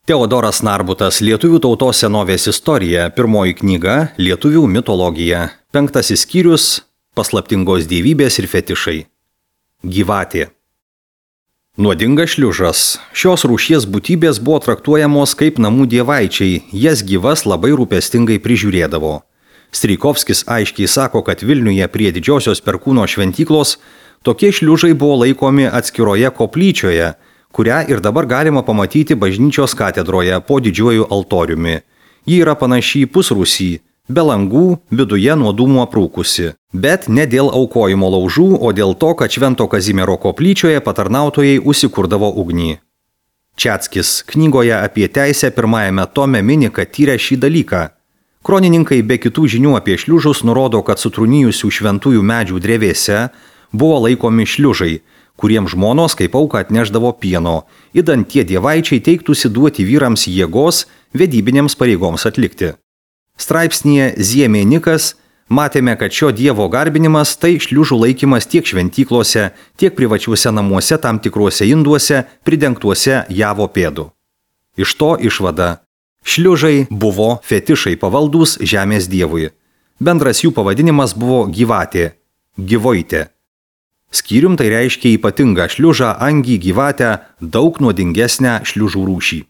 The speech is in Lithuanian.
Teodoras Narbutas Lietuvių tautos senovės istorija, pirmoji knyga Lietuvių mitologija, 5 skyrius Paslaptingos dievybės ir fetišai. Gyvatė. Nuodingas šliužas. Šios rūšies būtybės buvo traktuojamos kaip namų dievaičiai, jas gyvas labai rūpestingai prižiūrėdavo. Strijkovskis aiškiai sako, kad Vilniuje prie didžiosios Perkūno šventyklos tokie šliužai buvo laikomi atskiroje koplyčioje, kurią ir dabar galima pamatyti bažnyčios katedroje po didžiuoju altoriumi. Ji yra panaši į pusrūsį, be langų, viduje nuo dūmų aprūkusi. Bet ne dėl aukojimo laužų, o dėl to, kad Švento Kazimiero koplyčioje patarnautojai užsikurdavo ugnį. Čeckis knygoje apie teisę 1 tome mini, kad tyrė šį dalyką. Kronininkai be kitų žinių apie šliužus nurodo, kad sutrūnijusių šventųjų medžių drevėse buvo laikomi šliužai, kuriems žmonos kaip auką atneždavo pieno, idant tie dievaičiai teiktųsi duoti vyrams jėgos vedybinėms pareigoms atlikti. Straipsnyje Ziemėnikas matėme, kad šio dievo garbinimas tai šliužų laikymas tiek šventyklose, tiek privačiuose namuose tam tikruose induose, pridengtuose javo pėdų. Iš to išvada. Šliužai buvo fetišai pavaldūs žemės dievui. Bendras jų pavadinimas buvo gyvatė, gyvoitė. Skyrium tai reiškia ypatingą šliužą, angį, gyvatę, daug nuodingesnę šliužų rūšį.